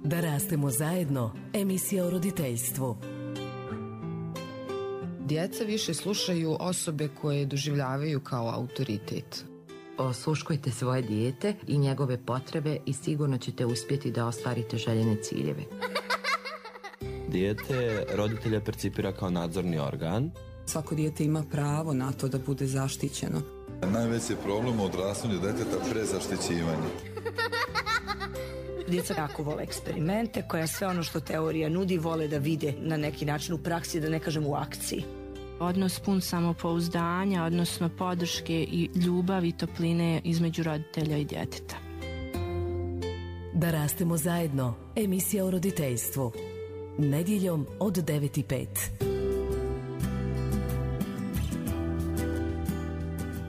Da rastemo zajedno, emisija o roditeljstvu. Djeca više slušaju osobe koje doživljavaju kao autoritet. Osluškujte svoje dijete i njegove potrebe i sigurno ćete uspjeti da ostvarite željene ciljeve. Dijete roditelja percipira kao nadzorni organ. Svako dijete ima pravo na to da bude zaštićeno. Najveći problem u odrastanju djeteta prezaštićivanje. Djeca jako vole eksperimente, koja sve ono što teorija nudi vole da vide na neki način u praksi, da ne kažem u akciji. Odnos pun samopouzdanja, odnosno podrške i ljubavi i topline između roditelja i djeteta. Da rastemo zajedno, emisija o roditeljstvu. Nedjeljom od 9:05.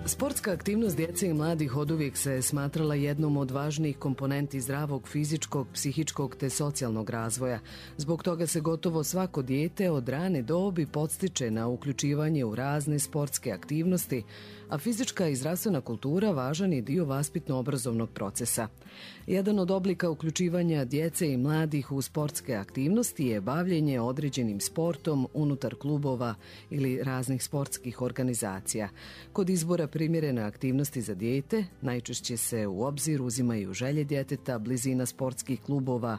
Sportska aktivnost djece i mladih oduvijek se smatrala jednom od važnijih komponenti zdravog fizičkog, psihičkog te socijalnog razvoja. Zbog toga se gotovo svako dijete od rane dobi podstiče na uključivanje u razne sportske aktivnosti, a fizička i zdravstvena kultura važan je dio vaspitno-obrazovnog procesa. Jedan od oblika uključivanja djece i mladih u sportske aktivnosti je bavljenje određenim sportom unutar klubova ili raznih sportskih organizacija. Kod izbora primjerene aktivnosti za dijete najčešće se u obzir uzimaju želje djeteta, blizina sportskih klubova,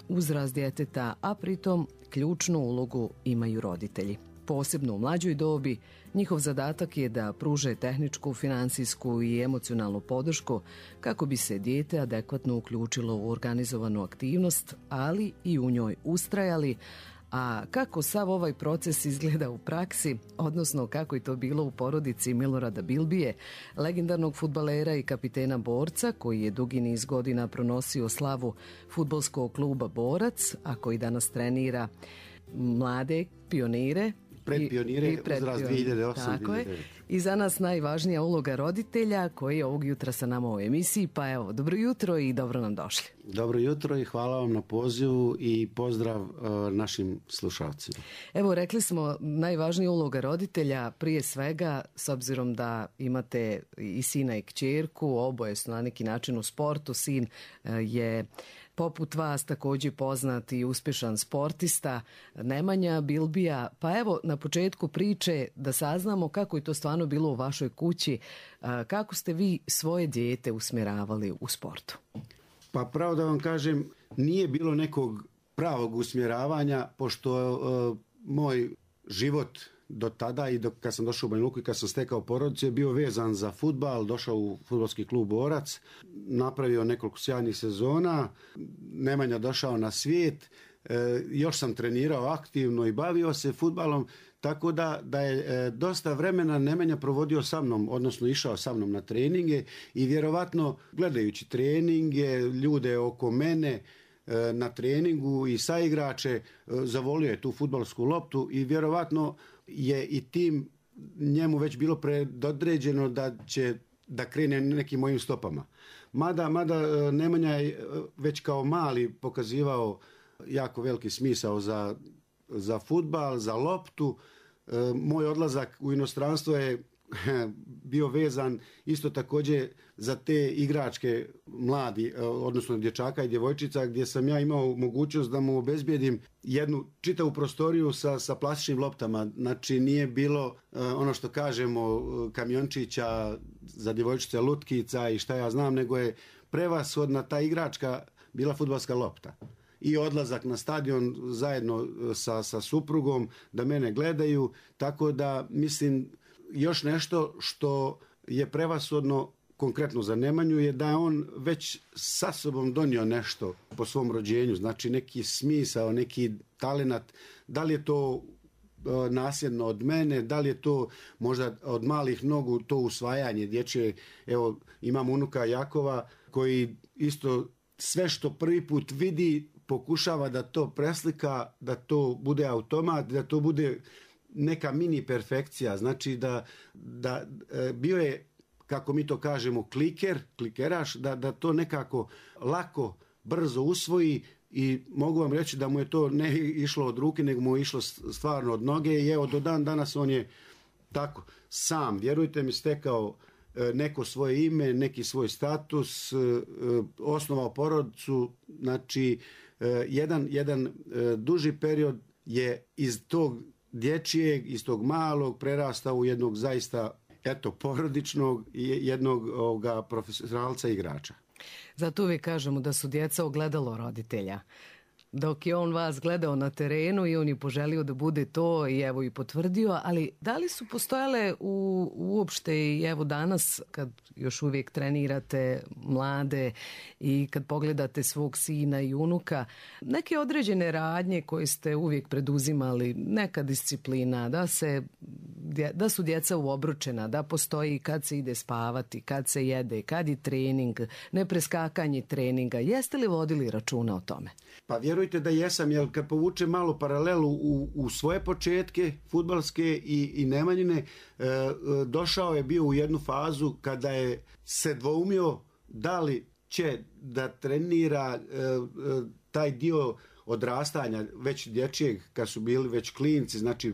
uzrast djeteta, a pritom ključnu ulogu imaju roditelji. Posebno u mlađoj dobi, njihov zadatak je da pruže tehničku, financijsku i emocionalnu podršku kako bi se dijete adekvatno uključilo u organizovanu aktivnost, ali i u njoj ustrajali. A kako sav ovaj proces izgleda u praksi, odnosno kako je to bilo u porodici Milorada Bilbije, legendarnog fudbalera i kapitena Borca, koji je dugi niz godina pronosio slavu fudbalskog kluba Borac, a koji danas trenira mlade pionire, predpionire, uzrast 2008. Tako je. I za nas najvažnija uloga roditelja koji je ovog jutra sa nama u emisiji. Pa evo, dobro jutro i dobro nam došli. Dobro jutro i hvala vam na pozivu i pozdrav našim slušalcima. Evo, rekli smo najvažnija uloga roditelja prije svega, s obzirom da imate i sina i kćerku, oboje su na neki način u sportu. Sin je poput vas također poznat i uspješan sportista, Nemanja Bilbija. Pa evo, na početku priče da saznamo kako je to stvarno bilo u vašoj kući, kako ste vi svoje dijete usmjeravali u sportu? Pa pravo da vam kažem, nije bilo nekog pravog usmjeravanja, pošto moj život do tada i kad sam došao u Banja Luku i kad sam stekao porodicu je bio vezan za fudbal, došao u fudbalski klub Borac, napravio nekoliko sjajnih sezona, Nemanja došao na svijet, još sam trenirao aktivno i bavio se fudbalom, tako da je dosta vremena Nemanja provodio sa mnom, odnosno išao sa mnom na treninge i vjerovatno gledajući treninge, ljude oko mene na treningu i saigrače, zavolio je tu fudbalsku loptu i vjerovatno je i tim njemu već bilo predodređeno da krene nekim mojim stopama. Mada Nemanja je već kao mali pokazivao jako veliki smisao za fudbal, za loptu. Moj odlazak u inostranstvo je bio vezan isto također za te igračke mladi, odnosno dječaka i djevojčica, gdje sam ja imao mogućnost da mu obezbijedim jednu čitavu prostoriju sa plastičnim loptama. Znači nije bilo ono što kažemo kamiončića za djevojčice, lutkica i šta ja znam, nego je prevashodna ta igračka bila fudbalska lopta. I odlazak na stadion zajedno sa suprugom da mene gledaju, tako da mislim još nešto što je prevashodno konkretno za Nemanju je da je on već sa sobom donio nešto po svom rođenju, znači neki smisao, neki talenat, da li je to nasljedno od mene, da li je to možda od malih nogu to usvajanje dječje. Evo imam unuka Jakova koji isto sve što prvi put vidi pokušava da to preslika, da to bude automat, da to bude neka mini perfekcija, znači da bio je, kako mi to kažemo, klikeraš, da to nekako lako, brzo usvoji i mogu vam reći da mu je to ne išlo od ruke, nego mu je išlo stvarno od noge i evo do dan danas on je tako sam, vjerujte mi, stekao neko svoje ime, neki svoj status, osnovao porodicu, znači jedan duži period je iz tog dječjeg, iz tog malog prerastao u jednog zaista porodičnog i jednog profesionalca igrača. Zato uvijek kažemo da su djeca ogledalo roditelja. Dok je on vas gledao na terenu i on je poželio da bude to i evo i potvrdio, ali da li su postojale uopšte i evo danas kad još uvijek trenirate mlade i kad pogledate svog sina i unuka, neke određene radnje koje ste uvijek preduzimali, neka disciplina, da su djeca uobručena, da postoji kad se ide spavati, kad se jede, kad je trening, nepreskakanje treninga. Jeste li vodili računa o tome? Pa vjerujte da jesam, jer kad povučem malo paralelu u svoje početke fudbalske i Nemanjine, došao je bio u jednu fazu kada je se dvoumio da li će da trenira taj dio odrastanja već dječjeg, kad su bili već klinci, znači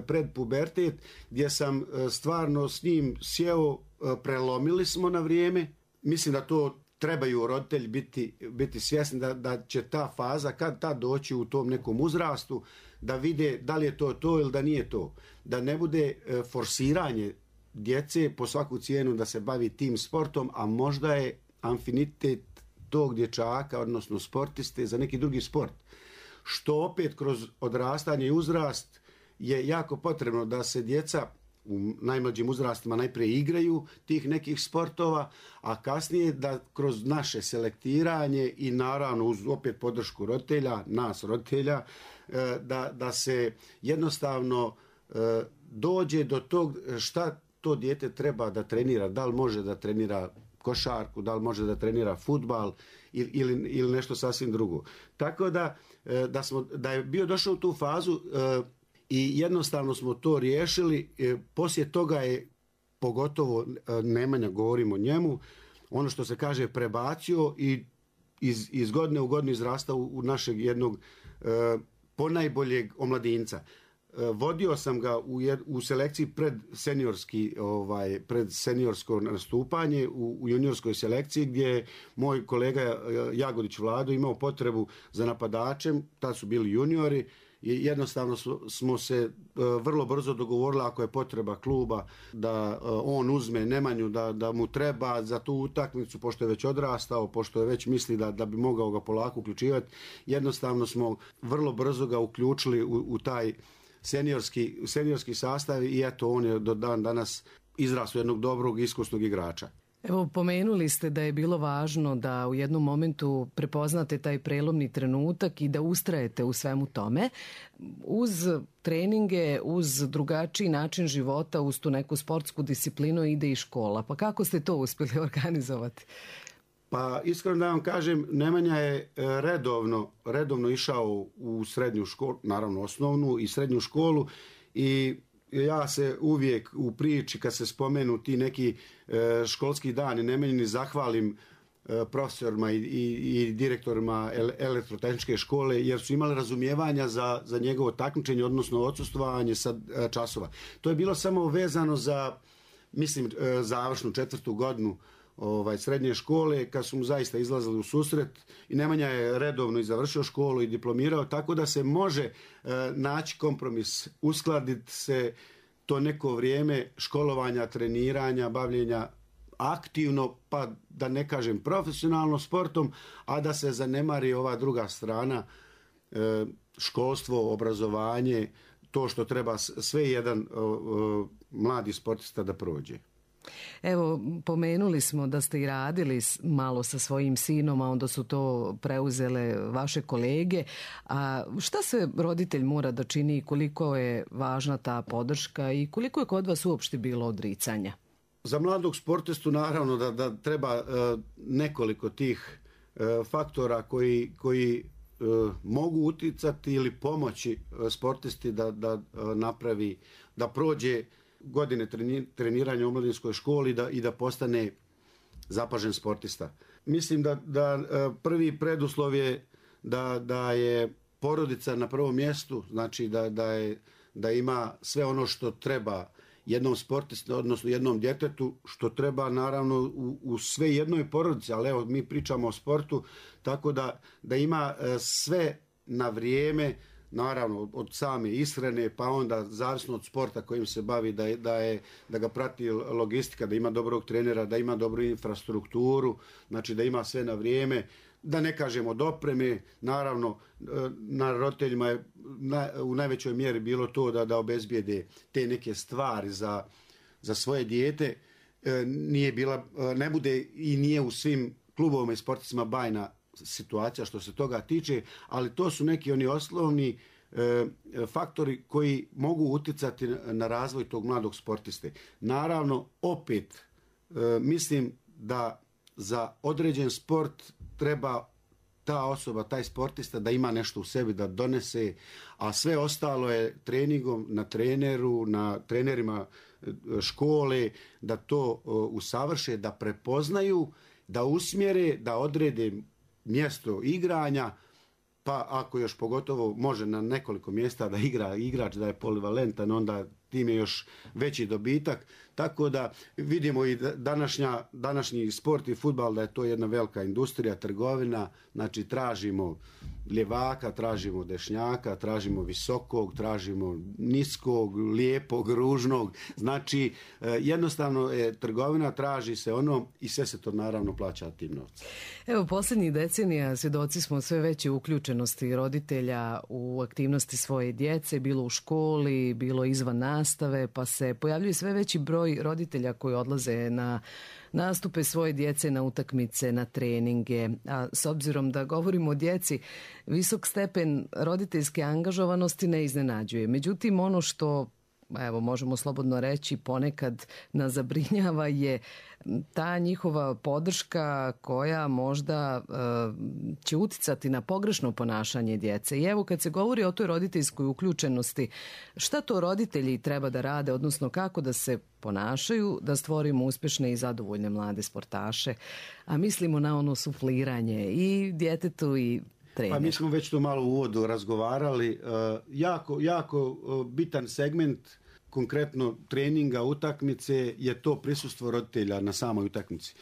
pred pubertet, gdje sam stvarno s njim sjeo, prelomili smo na vrijeme. Mislim da to trebaju roditelji biti svjesni da će ta faza kad ta doći u tom nekom uzrastu, da vide da li je to ili da nije to. Da ne bude forsiranje djece po svaku cijenu da se bavi tim sportom, a možda je afinitet tog dječaka, odnosno sportiste, za neki drugi sport. Što opet kroz odrastanje i uzrast je jako potrebno da se djeca u najmlađim uzrastima najprije igraju tih nekih sportova, a kasnije da kroz naše selektiranje i naravno uz opet podršku roditelja, nas roditelja, da se jednostavno dođe do tog šta to dijete treba da trenira, da li može da trenira košarku, da li može da trenira fudbal ili nešto sasvim drugo. Tako da je bio došao u tu fazu i jednostavno smo to riješili. Poslije toga je, pogotovo Nemanja, govorimo o njemu, ono što se kaže prebacio i iz godine u godinu izrastao u našeg jednog ponajboljeg omladinca. Vodio sam ga u selekciji pred seniorsko nastupanje u juniorskoj selekciji, gdje je moj kolega Jagodić Vlado imao potrebu za napadačem, tad su bili juniori. I jednostavno smo se vrlo brzo dogovorili, ako je potreba kluba, da on uzme Nemanju, da mu treba za tu utakmicu, pošto je već odrastao, pošto je već misli da bi mogao ga polako uključivati. Jednostavno smo vrlo brzo ga uključili u taj seniorski sastav i eto, on je do dan danas izrastao jednog dobrog, iskusnog igrača. Evo, pomenuli ste da je bilo važno da u jednom momentu prepoznate taj prelomni trenutak i da ustrajete u svemu tome. Uz treninge, uz drugačiji način života, uz tu neku sportsku disciplinu ide i škola. Pa kako ste to uspjeli organizovati? Pa iskreno da vam kažem, Nemanja je redovno išao u srednju školu, naravno osnovnu i srednju školu, i ja se uvijek u priči kad se spomenu ti neki školski dani Nemanjini zahvalim profesorima i direktorima elektrotehničke škole, jer su imali razumijevanja za njegovo takmičenje, odnosno odsustvovanje sa časova. To je bilo samo vezano za, mislim, završnu 4. godinu srednje škole, kad su mu zaista izlazili u susret, i Nemanja je redovno i završio školu i diplomirao, tako da se može naći kompromis, uskladiti se to neko vrijeme školovanja, treniranja, bavljenja aktivno, pa da ne kažem profesionalno sportom, a da se zanemari ova druga strana, školstvo, obrazovanje, to što treba sve jedan mladi sportista da prođe. Evo, pomenuli smo da ste i radili malo sa svojim sinom, a onda su to preuzele vaše kolege. A šta se roditelj mora da čini i koliko je važna ta podrška i koliko je kod vas uopšte bilo odricanja? Za mladog sportistu naravno da treba nekoliko tih faktora koji mogu uticati ili pomoći sportisti da napravi, da prođe godine treniranja u omladinskoj školi i da postane zapažen sportista. Mislim da prvi preduslov je da je porodica na prvom mjestu, znači da ima sve ono što treba jednom sportistu, odnosno jednom djetetu, što treba naravno u sve jednoj porodici, ali evo mi pričamo o sportu, tako da ima sve na vrijeme, naravno od same ishrane, pa onda zavisno od sporta kojim se bavi, da ga prati logistika, da ima dobrog trenera, da ima dobru infrastrukturu, znači da ima sve na vrijeme, da ne kažemo od opreme, naravno na roditeljima je u najvećoj mjeri bilo to da obezbijede te neke stvari za svoje dijete. Ne bude i nije u svim klubovima i sportovima bajna situacija što se toga tiče, ali to su neki oni osnovni faktori koji mogu utjecati na razvoj tog mladog sportiste. Naravno, opet mislim da za određen sport treba ta osoba, taj sportista da ima nešto u sebi, da donese, a sve ostalo je treningom na treneru, na trenerima škole, da to usavrše, da prepoznaju, da usmjere, da odrede mjesto igranja, pa ako još pogotovo može na nekoliko mjesta da igra igrač, da je polivalentan, onda tim je još veći dobitak. Tako da vidimo i današnji sport i fudbal da je to jedna velika industrija, trgovina, znači tražimo ljevaka, tražimo dešnjaka, tražimo visokog, tražimo niskog, lijepog, ružnog, znači jednostavno trgovina, traži se ono i sve se to naravno plaća tim novcem. Evo, posljednjih decenija svjedoci smo sve veće uključenosti roditelja u aktivnosti svoje djece, bilo u školi, bilo izvan nastave, pa se pojavljuje sve veći broj roditelja koji odlaze na nastupe svoje djece, na utakmice, na treninge. A s obzirom da govorimo o djeci, visok stepen roditeljske angažovanosti ne iznenađuje. Međutim, ono što, evo, možemo slobodno reći, ponekad nas zabrinjava je ta njihova podrška koja možda će uticati na pogrešno ponašanje djece. I evo, kad se govori o toj roditeljskoj uključenosti, šta to roditelji treba da rade, odnosno kako da se ponašaju da stvorimo uspješne i zadovoljne mlade sportaše, a mislimo na ono sufliranje i djetetu i trener. Pa mi smo već to malo u uvodu razgovarali. Jako bitan segment konkretno treninga, utakmice je to prisustvo roditelja na samoj utakmici.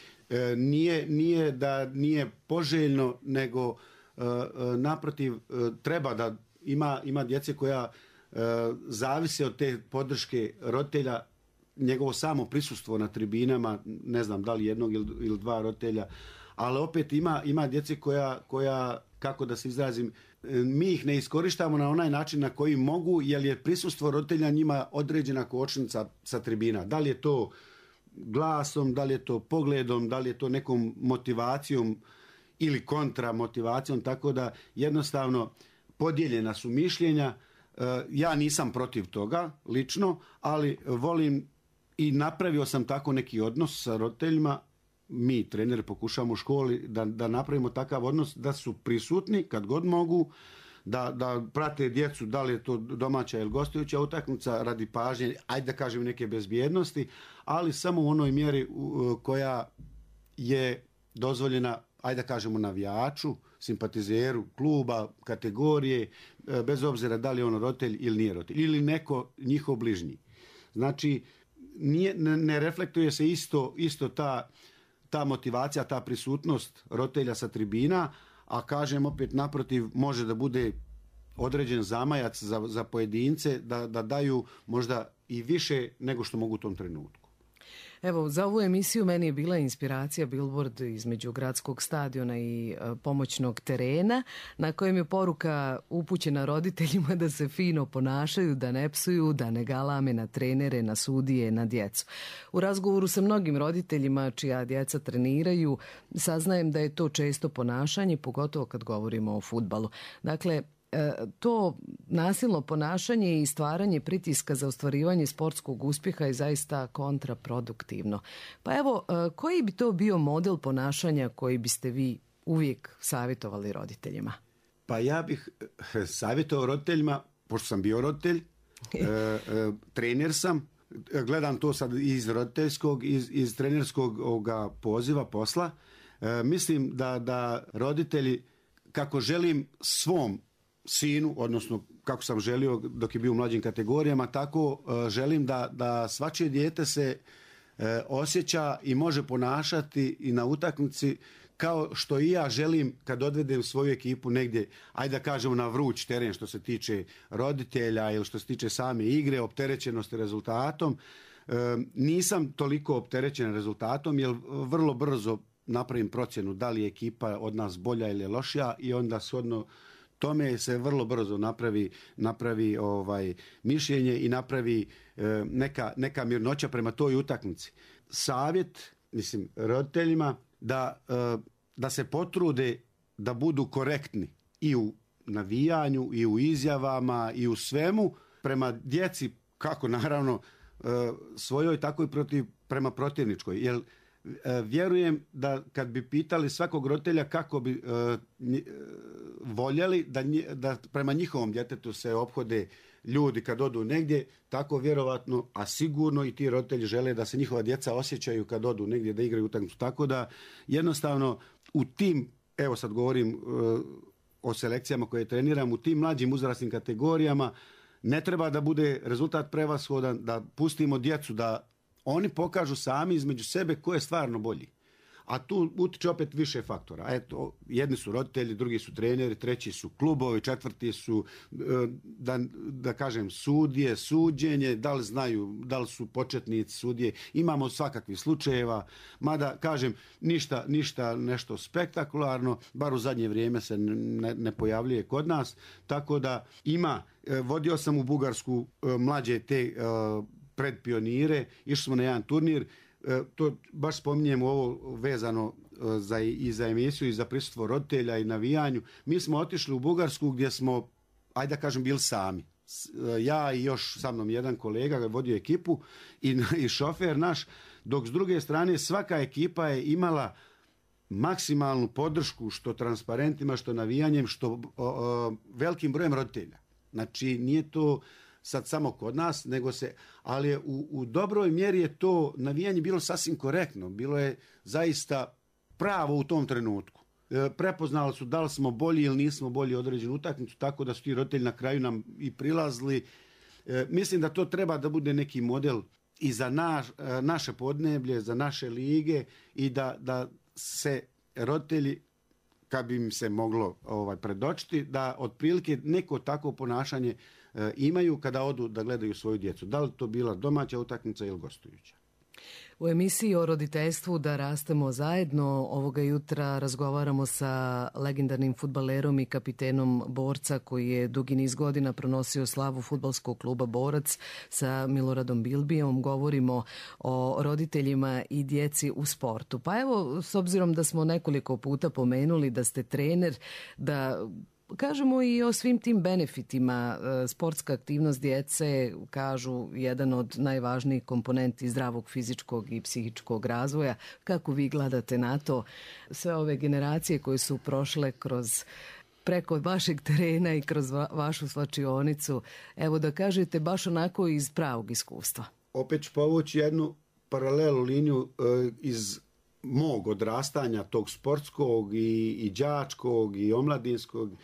Nije da nije poželjno, nego naprotiv treba da ima djece koja zavise od te podrške roditelja, njegovo samo prisustvo na tribinama, ne znam da li jednog ili dva roditelja, ali opet ima djece koja, kako da se izrazim, mi ih ne iskorištamo na onaj način na koji mogu, jer je prisustvo roditelja njima određena kočnica sa tribina. Da li je to glasom, da li je to pogledom, da li je to nekom motivacijom ili kontramotivacijom, tako da jednostavno podijeljena su mišljenja. Ja nisam protiv toga lično, ali volim i napravio sam tako neki odnos sa roditeljima. Mi, treneri, pokušamo u školi da napravimo takav odnos, da su prisutni kad god mogu, da prate djecu, da li je to domaća ili gostujuća utakmica, radi pažnje, ajde da kažem neke bezbjednosti, ali samo u onoj mjeri koja je dozvoljena, ajde da kažemo navijaču, simpatizeru kluba, kategorije, bez obzira da li je on roditelj ili nije roditelj, ili neko njihov bližnji. Znači, ne reflektuje se isto ta motivacija, ta prisutnost roditelja sa tribina, a kažem opet naprotiv, može da bude određen zamajac za pojedince da daju možda i više nego što mogu u tom trenutku. Evo, za ovu emisiju meni je bila inspiracija billboard između gradskog stadiona i pomoćnog terena, na kojem je poruka upućena roditeljima da se fino ponašaju, da ne psuju, da ne galame na trenere, na sudije, na djecu. U razgovoru sa mnogim roditeljima čija djeca treniraju, saznajem da je to često ponašanje, pogotovo kad govorimo o fudbalu. Dakle, to nasilno ponašanje i stvaranje pritiska za ostvarivanje sportskog uspjeha je zaista kontraproduktivno. Pa evo, koji bi to bio model ponašanja koji biste vi uvijek savjetovali roditeljima? Pa ja bih savjetovao roditeljima, pošto sam bio roditelj, trener sam, gledam to sad iz roditeljskog, iz trenerskog poziva, posla. Mislim da roditelji, kako želim svom sinu, odnosno kako sam želio dok je bio u mlađim kategorijama, tako želim da svačije dijete se osjeća i može ponašati i na utakmici kao što i ja želim kad odvedem svoju ekipu negdje, ajde da kažemo na vruć teren što se tiče roditelja ili što se tiče same igre, opterećenosti rezultatom. Nisam toliko opterećen rezultatom jer vrlo brzo napravim procjenu da li je ekipa od nas bolja ili lošija i onda shodno tome se vrlo brzo napravi mišljenje i napravi neka mirnoća prema toj utakmici. Savjet, mislim, roditeljima da se potrude da budu korektni i u navijanju i u izjavama i u svemu prema djeci, kako naravno svojoj, tako i prema protivničkoj. Jer vjerujem da kad bi pitali svakog roditelja kako bi voljeli da prema njihovom djetetu se ophode ljudi kad odu negdje, tako vjerovatno, a sigurno i ti roditelji žele da se njihova djeca osjećaju kad odu negdje da igraju utakmicu. Tako da jednostavno u tim, evo sad govorim o selekcijama koje treniram, u tim mlađim uzrasnim kategorijama ne treba da bude rezultat prevashodan, da pustimo djecu da oni pokažu sami između sebe ko je stvarno bolji. A tu utiče opet više faktora. Eto, jedni su roditelji, drugi su treneri, treći su klubovi, četvrti su, da kažem, sudije, suđenje, da li znaju, da li su početnici sudije. Imamo svakakvih slučajeva, mada, kažem, ništa nešto spektakularno, bar u zadnje vrijeme se ne pojavljuje kod nas. Tako da vodio sam u Bugarsku mlađe te predpionire, išli smo na jedan turnir, to baš spominjem ovo vezano i za emisiju i za prisustvo roditelja i navijanju. Mi smo otišli u Bugarsku gdje smo, ajde da kažem, bili sami. Ja i još sa mnom jedan kolega je vodio ekipu i šofer naš, dok s druge strane svaka ekipa je imala maksimalnu podršku što transparentima, što navijanjem, što velikim brojem roditelja. Znači nije to sad samo kod nas, ali je u dobroj mjeri je to navijanje bilo sasvim korektno, bilo je zaista pravo u tom trenutku. Prepoznali su da li smo bolji ili nismo bolji određenu utakmicu, tako da su ti roditelji na kraju nam i prilazili. Mislim da to treba da bude neki model i za naše podneblje, za naše lige i da se roditelji, kad bi im se moglo predočiti, da otprilike neko takvo ponašanje imaju kada odu da gledaju svoju djecu. Da li to bila domaća utakmica ili gostujuća? U emisiji o roditeljstvu Da rastemo zajedno ovoga jutra razgovaramo sa legendarnim fudbalerom i kapitenom Borca koji je dugi niz godina pronosio slavu fudbalskog kluba Borac sa Miloradom Bilbijom. Govorimo o roditeljima i djeci u sportu. Pa evo, s obzirom da smo nekoliko puta pomenuli da ste trener, da kažemo i o svim tim benefitima. Sportska aktivnost djece, kažu, jedan od najvažnijih komponenti zdravog fizičkog i psihičkog razvoja. Kako vi gledate na to? Sve ove generacije koje su prošle preko vašeg terena i kroz vašu slačionicu, evo da kažete baš onako iz pravog iskustva. Opet ću povući jednu paralelu liniju iz mog odrastanja, tog sportskog i đačkog i omladinskog.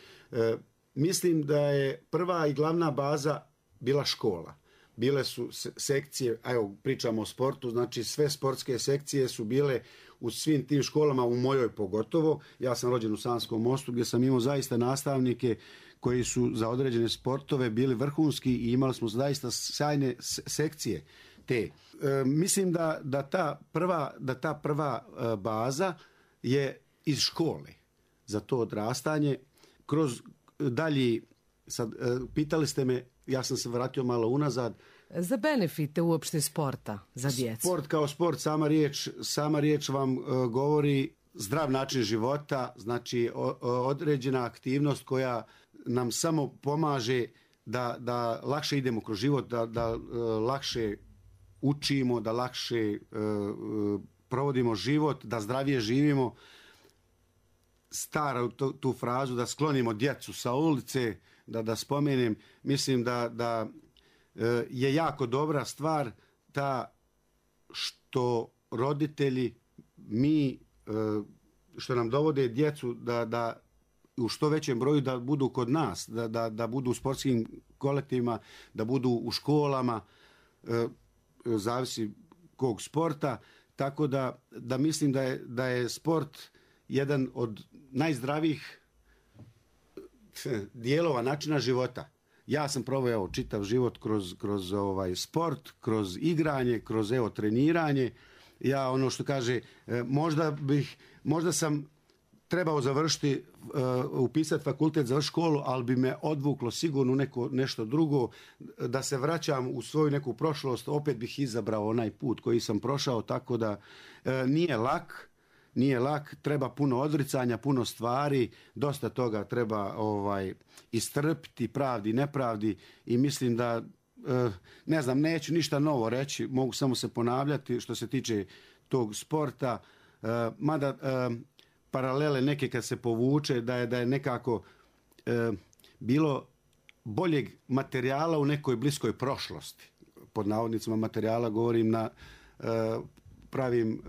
Mislim da je prva i glavna baza bila škola. Bile su sekcije, evo pričamo o sportu, znači sve sportske sekcije su bile u svim tim školama, u mojoj pogotovo. Ja sam rođen u Sanskom Mostu gdje sam imao zaista nastavnike koji su za određene sportove bili vrhunski i imali smo zaista sjajne sekcije te. Mislim da ta prva baza je iz škole za to odrastanje. Kroz dalji, sad pitali ste me, ja sam se vratio malo unazad. Za benefite uopšte sporta za djecu. Sport kao sport, sama riječ vam govori zdrav način života, znači određena aktivnost koja nam samo pomaže da lakše idemo kroz život, da lakše učimo, da lakše provodimo život, da zdravije živimo. Stara tu frazu da sklonimo djecu sa ulice, da spomenem, mislim da je jako dobra stvar ta što roditelji, mi, što nam dovode djecu da u što većem broju da budu kod nas, da budu u sportskim kolektivima, da budu u školama, zavisi kog sporta, tako da mislim da je sport jedan od najzdravijih dijelova načina života. Ja sam proveo čitav život kroz sport, kroz igranje, kroz treniranje. Ja ono što kaže, možda sam trebao završiti, upisati fakultet, završiti školu, ali bi me odvuklo sigurno nešto drugo, da se vraćam u svoju neku prošlost, opet bih izabrao onaj put koji sam prošao, tako da nije lak, treba puno odricanja, puno stvari, dosta toga treba istrpiti, pravdi, nepravdi, i mislim da, ne znam, neću ništa novo reći, mogu samo se ponavljati što se tiče tog sporta, mada paralele neke kad se povuče da je nekako bilo boljeg materijala u nekoj bliskoj prošlosti. Pod navodnicima materijala govorim pravim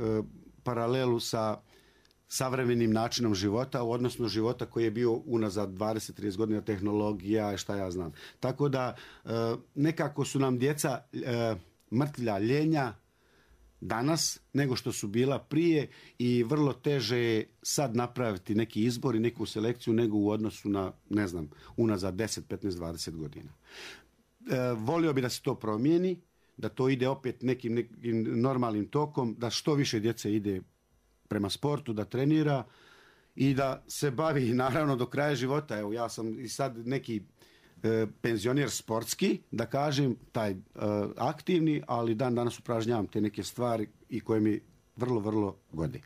paralelu sa savremenim načinom života, odnosno života koji je bio unazad 20-30 godina, tehnologija, šta ja znam. Tako da nekako su nam djeca mrtvlja, ljenja danas nego što su bila prije, i vrlo teže je sad napraviti neki izbor i neku selekciju nego u odnosu na, ne znam, unazad 10, 15, 20 godina. Volio bi da se to promijeni, da to ide opet nekim normalnim tokom, da što više djece ide prema sportu, da trenira i da se bavi naravno do kraja života. Evo, ja sam i sad neki penzioner sportski, da kažem, taj aktivni, ali dan danas upražnjavam te neke stvari i koje mi vrlo, vrlo gode.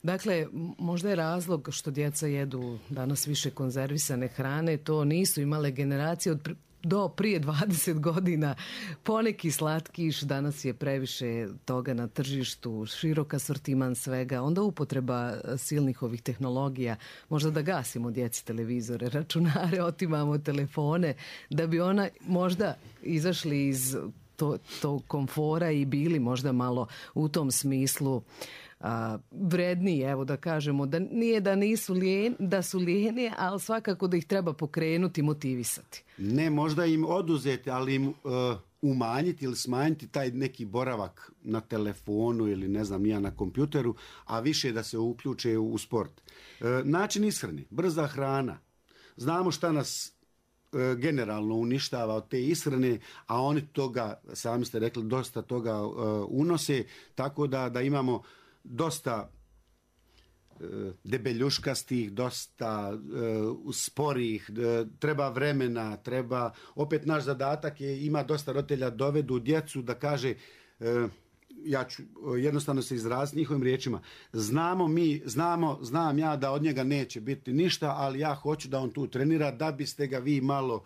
Dakle, možda je razlog što djeca jedu danas više konzervisane hrane, to nisu imale generacije do prije 20 godina. Poneki slatkiš, danas je previše toga na tržištu, širok asortiman svega, onda upotreba silnih ovih tehnologija, možda da gasimo djeci televizore, računare, otimamo telefone, da bi ona možda izašli iz tog komfora i bili možda malo u tom smislu vredniji, evo da kažemo, da nije da nisu da su lijeni, ali svakako da ih treba pokrenuti, motivisati. Ne, možda im oduzeti, ali im umanjiti ili smanjiti taj neki boravak na telefonu ili ne znam ja na kompjuteru, a više da se uključe u sport. Način ishrane, brza hrana. Znamo šta nas generalno uništava od te ishrane, a oni toga, sami ste rekli, dosta toga unose, tako da imamo dosta debeljuškastih, dosta sporih, treba vremena, opet naš zadatak je, ima dosta roditelja dovedu djecu da kaže, ja ću jednostavno se izraziti njihovim riječima, znam ja da od njega neće biti ništa, ali ja hoću da on tu trenira, da biste ga vi malo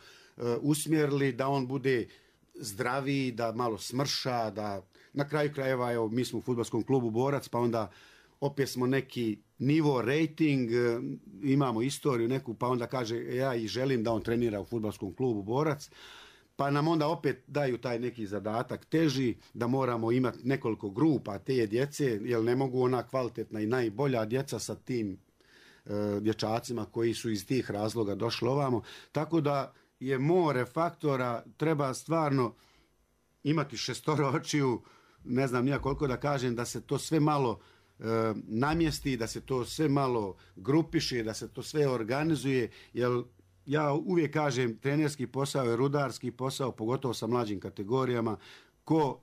usmjerili, da on bude zdraviji, da malo smrša, da na kraju krajeva, evo, mi smo u fudbalskom klubu Borac, pa onda opet smo neki nivo, rating, imamo istoriju neku, pa onda kaže ja i želim da on trenira u fudbalskom klubu Borac, pa nam onda opet daju taj neki zadatak teži, da moramo imati nekoliko grupa te djece, jer ne mogu ona kvalitetna i najbolja djeca sa tim dječacima koji su iz tih razloga došli ovamo, tako da je more faktora, treba stvarno imati 6 očiju, ne znam nija koliko da kažem, da se to sve malo namjesti, da se to sve malo grupiše, da se to sve organizuje, jer ja uvijek kažem, trenerski posao je rudarski posao, pogotovo sa mlađim kategorijama. Ko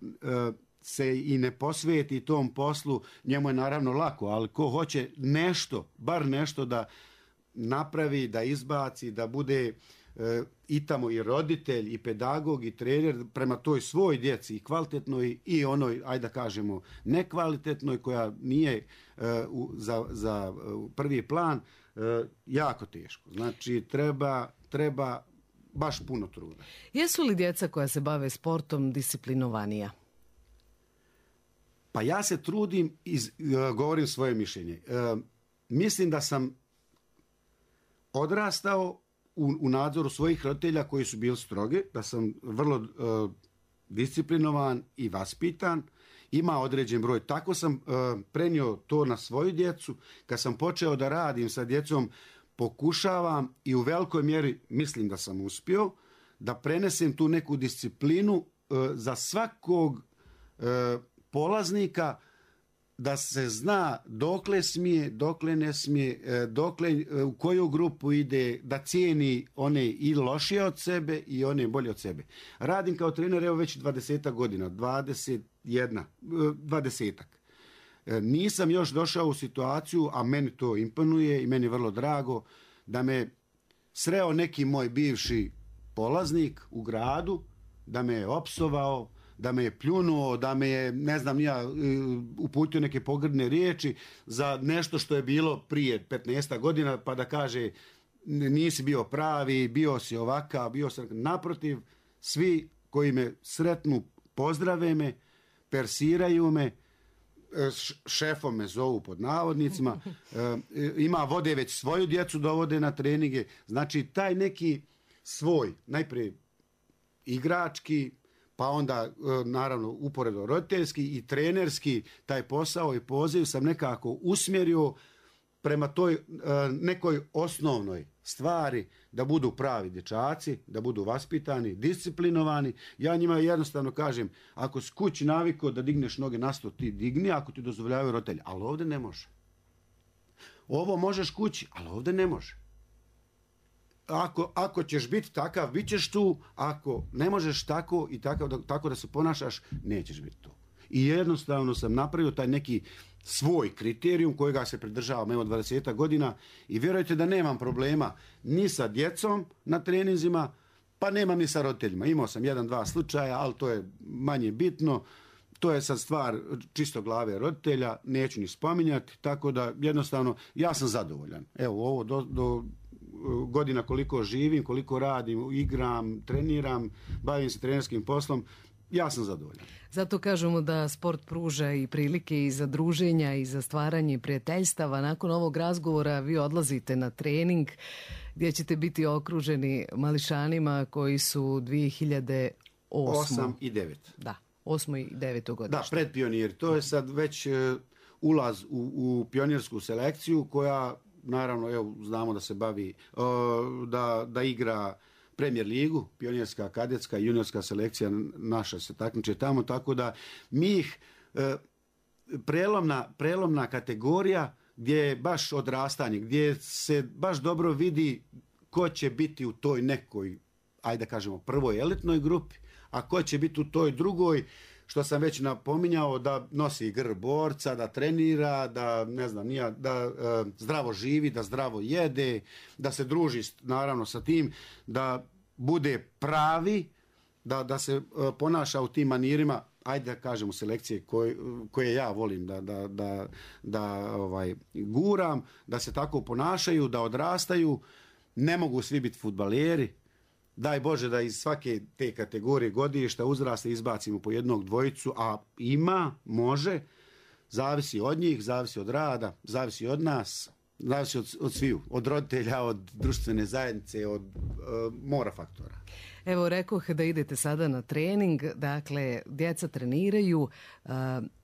se i ne posveti tom poslu, njemu je naravno lako, ali ko hoće nešto, bar nešto da napravi, da izbaci, da bude i tamo i roditelj, i pedagog, i trener prema toj svoj djeci, i kvalitetnoj i onoj, ajde da kažemo, nekvalitetnoj koja nije za prvi plan, jako teško. Znači, treba baš puno truda. Jesu li djeca koja se bave sportom disciplinovanija? Pa ja se trudim i govorim svoje mišljenje. Mislim da sam odrastao u nadzoru svojih roditelja koji su bili strogi, da sam vrlo disciplinovan i vaspitan, ima određen broj. Tako sam prenio to na svoju djecu. Kad sam počeo da radim sa djecom, pokušavam i u velikoj mjeri mislim da sam uspio da prenesem tu neku disciplinu za svakog polaznika, da se zna dokle smije, dokle ne smije, u koju grupu ide, da cijeni one i lošije od sebe i one bolje od sebe. Radim kao trener evo već 20 godina, 20-ak. Nisam još došao u situaciju, a meni to imponuje i meni je vrlo drago, da me sreo neki moj bivši polaznik u gradu, da me je opsovao, da me je pljunuo, da me je, ne znam, ja uputio neke pogrdne riječi za nešto što je bilo prije 15 godina, pa da kaže nisi bio pravi, bio si ovakav, bio sam... Naprotiv, svi koji me sretnu pozdrave me, persiraju me, šefom me zovu pod navodnicima, ima vode već svoju djecu dovode na treninge, znači taj neki svoj, najprije igrački, pa onda naravno uporedo roditeljski i trenerski taj posao i poziv sam nekako usmjerio prema toj nekoj osnovnoj stvari, da budu pravi dječaci, da budu vaspitani, disciplinovani. Ja njima jednostavno kažem, ako si kući navikao da digneš noge na sto, ti digni, ako ti dozvoljavaju roditelji, ali ovdje ne može. Ovo možeš kući, ali ovdje ne može. Ako ćeš biti takav, bit ćeš tu, ako ne možeš tako i tako da se ponašaš, nećeš biti tu. I jednostavno sam napravio taj neki svoj kriterijum kojega se pridržavam evo 20 godina i vjerujte da nemam problema ni sa djecom na treninzima, pa nemam ni sa roditeljima. Imao sam 1-2 slučaja, ali to je manje bitno. To je sad stvar čisto glave roditelja, neću ni spominjati, tako da jednostavno ja sam zadovoljan. Evo ovo do godina koliko živim, koliko radim, igram, treniram, bavim se trenerskim poslom, ja sam zadovoljan. Zato kažemo da sport pruža i prilike i za druženja i za stvaranje prijateljstava. Nakon ovog razgovora vi odlazite na trening gdje ćete biti okruženi mališanima koji su 2008. 8 i 9. Da, 8. i 9. godište. Da, pred pionir. To je sad već ulaz u pionirsku selekciju koja, naravno, evo, znamo da se bavi, da igra Premier ligu, pionirska, kadetska i juniorska selekcija naša se takmiče tamo, tako da mi ih prelomna kategorija gdje je baš odrastanje, gdje se baš dobro vidi ko će biti u toj nekoj, ajde da kažemo, prvoj elitnoj grupi, a ko će biti u toj drugoj, što sam već napominjao, da nosi grb borca, da trenira, da ne znam, da zdravo živi, da zdravo jede, da se druži naravno sa tim, da bude pravi, da se ponaša u tim manirima, ajde da kažem u selekcije koje ja volim da guram, da se tako ponašaju, da odrastaju. Ne mogu svi biti fudbaleri. Daj Bože da iz svake te kategorije godišta uzrasta izbacimo po jednog, dvojicu, a može, zavisi od njih, zavisi od rada, zavisi od nas, zavisi od sviju, od roditelja, od društvene zajednice, od mora faktora. Evo, rekoh da idete sada na trening, dakle, djeca treniraju,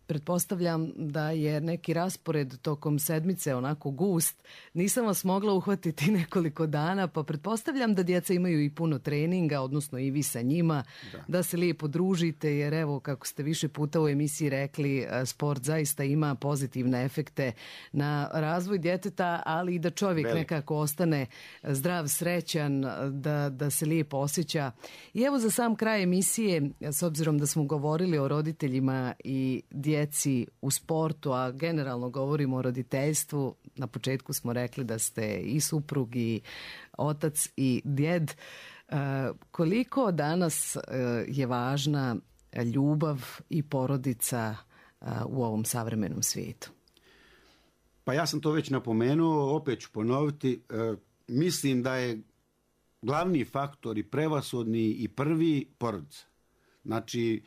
pretpostavljam da je neki raspored tokom sedmice onako gust. Nisam vas mogla uhvatiti nekoliko dana, pa pretpostavljam da djeca imaju i puno treninga, odnosno i vi sa njima, da se lijepo družite, jer evo, kako ste više puta u emisiji rekli, sport zaista ima pozitivne efekte na razvoj djeteta, ali i da čovjek nekako ostane zdrav, srećan, da se lijepo osjeća. I evo za sam kraj emisije, s obzirom da smo govorili o roditeljima i djeci u sportu, a generalno govorimo o roditeljstvu, na početku smo rekli da ste i suprug i otac i djed. Koliko danas je važna ljubav i porodica u ovom savremenom svijetu? Pa ja sam to već napomenuo, opet ću ponoviti. Mislim da je glavni faktor i prevashodni i prvi porodica. Znači,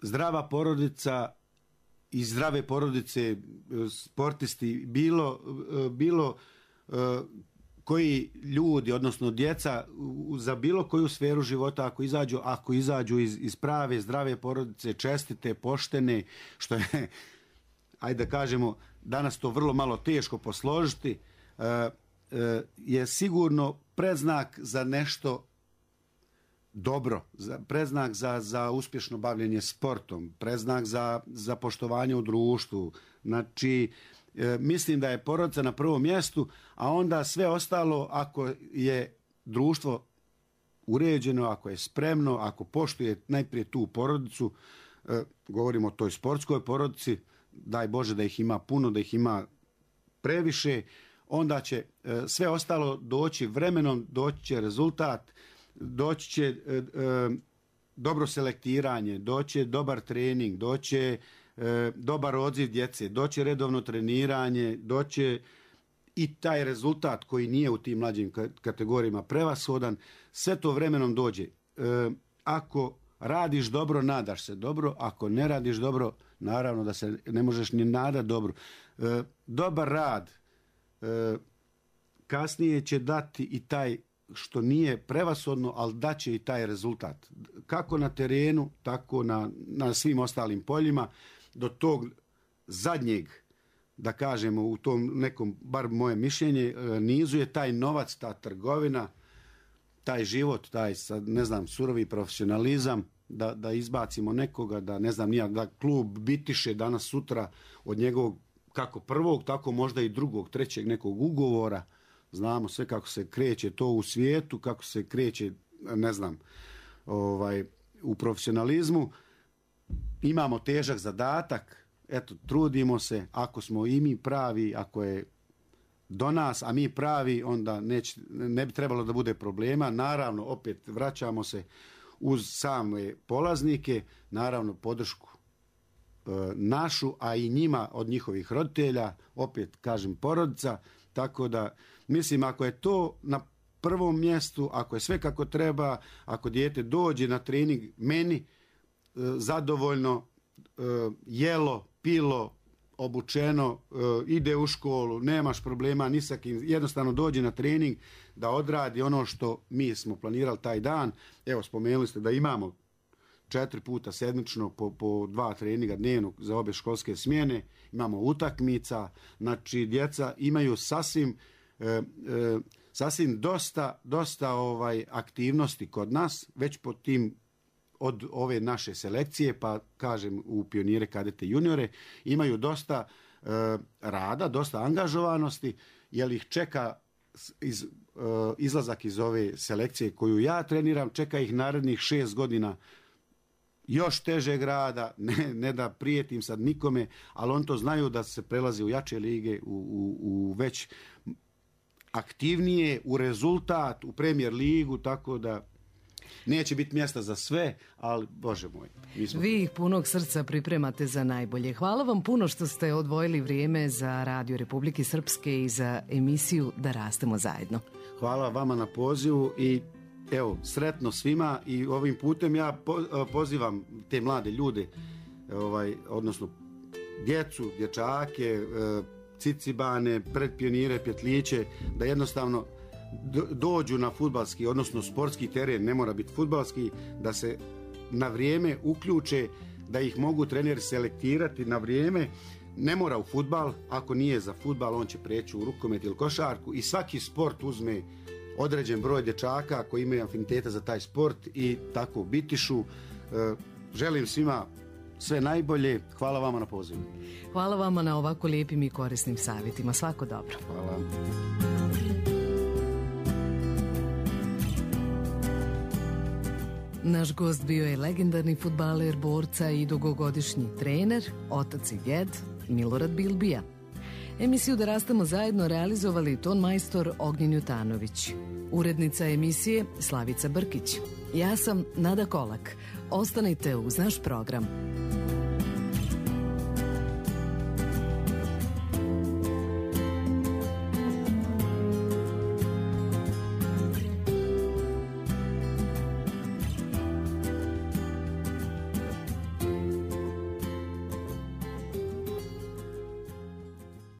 zdrava porodica i zdrave porodice, sportisti, bilo koji ljudi, odnosno djeca za bilo koju sferu života, ako izađu iz prave, zdrave porodice, čestite, poštene, što je, ajde da kažemo, danas to vrlo malo teško posložiti, je sigurno predznak za nešto dobro, predznak za uspješno bavljenje sportom, predznak za poštovanje u društvu. Znači, mislim da je porodica na prvom mjestu, a onda sve ostalo, ako je društvo uređeno, ako je spremno, ako poštuje najprije tu porodicu, govorimo o toj sportskoj porodici, daj Bože da ih ima puno, da ih ima previše, onda će sve ostalo doći vremenom, doći će rezultat, doći će dobro selektiranje, doći će dobar trening, doći će dobar odziv djece, doći će redovno treniranje, doći će i taj rezultat koji nije u tim mlađim kategorijama prevashodan, sve to vremenom dođe. Ako radiš dobro, nadaš se dobro, ako ne radiš dobro, naravno da se ne možeš ni nadati dobro. Dobar rad kasnije će dati i taj što nije prevashodno, ali daće i taj rezultat. Kako na terenu, tako na svim ostalim poljima, do tog zadnjeg, da kažemo, u tom nekom, bar moje mišljenje, nizu je taj novac, ta trgovina, taj život, taj, ne znam, surovi profesionalizam, da izbacimo nekoga, da ne znam nija, da klub bitiše danas sutra od njegovog kako prvog, tako možda i drugog, trećeg nekog ugovora. Znamo sve kako se kreće to u svijetu, kako se kreće, ne znam, u profesionalizmu. Imamo težak zadatak, eto, trudimo se, ako smo i mi pravi, ako je do nas, a mi pravi, onda ne bi trebalo da bude problema. Naravno, opet vraćamo se uz same polaznike, naravno podršku našu, a i njima od njihovih roditelja, opet kažem porodica, tako da mislim ako je to na prvom mjestu, ako je sve kako treba, ako dijete dođe na trening meni zadovoljno, jelo, pilo, obučeno, ide u školu, nemaš problema ni sa kim, jednostavno dođe na trening da odradi ono što mi smo planirali taj dan. Evo, spomenuli ste da imamo 4 puta sedmično po 2 treninga dnevno za obe školske smjene, imamo utakmica, znači djeca imaju sasvim dosta aktivnosti kod nas, već po tim od ove naše selekcije, pa kažem u pionire, kadete, juniore, imaju dosta rada, dosta angažovanosti, jer ih čeka izlazak iz ove selekcije koju ja treniram, čeka ih narednih 6 godina još težeg rada, ne da prijetim sad nikome, ali on to znaju da se prelazi u jače lige, u već aktivnije, u rezultat, u Premier ligu, tako da neće biti mjesta za sve, ali Bože moj. Vi ih punog srca pripremate za najbolje. Hvala vam puno što ste odvojili vrijeme za Radio Republike Srpske i za emisiju Da rastemo zajedno. Hvala vama na pozivu i evo, sretno svima i ovim putem ja pozivam te mlade ljude, odnosno djecu, dječake, cicibane, predpionire, pjetliće, da jednostavno dođu na fudbalski, odnosno sportski teren, ne mora biti fudbalski, da se na vrijeme uključe, da ih mogu treneri selektirati na vrijeme. Ne mora u fudbal, ako nije za fudbal, on će preći u rukomet ili košarku i svaki sport uzme određen broj dječaka koji imaju afiniteta za taj sport i tako bitišu. Želim svima sve najbolje. Hvala vama na pozivu. Hvala vama na ovako lijepim i korisnim savjetima. Svako dobro. Hvala. Naš gost bio je legendarni fudbaler, borca i dugogodišnji trener, otac i djed Milorad Bilbija. Emisiju Da rastemo zajedno realizovali ton majstor Ognjen Jutanović. Urednica emisije Slavica Brkić. Ja sam Nada Kolak. Ostanite uz naš program.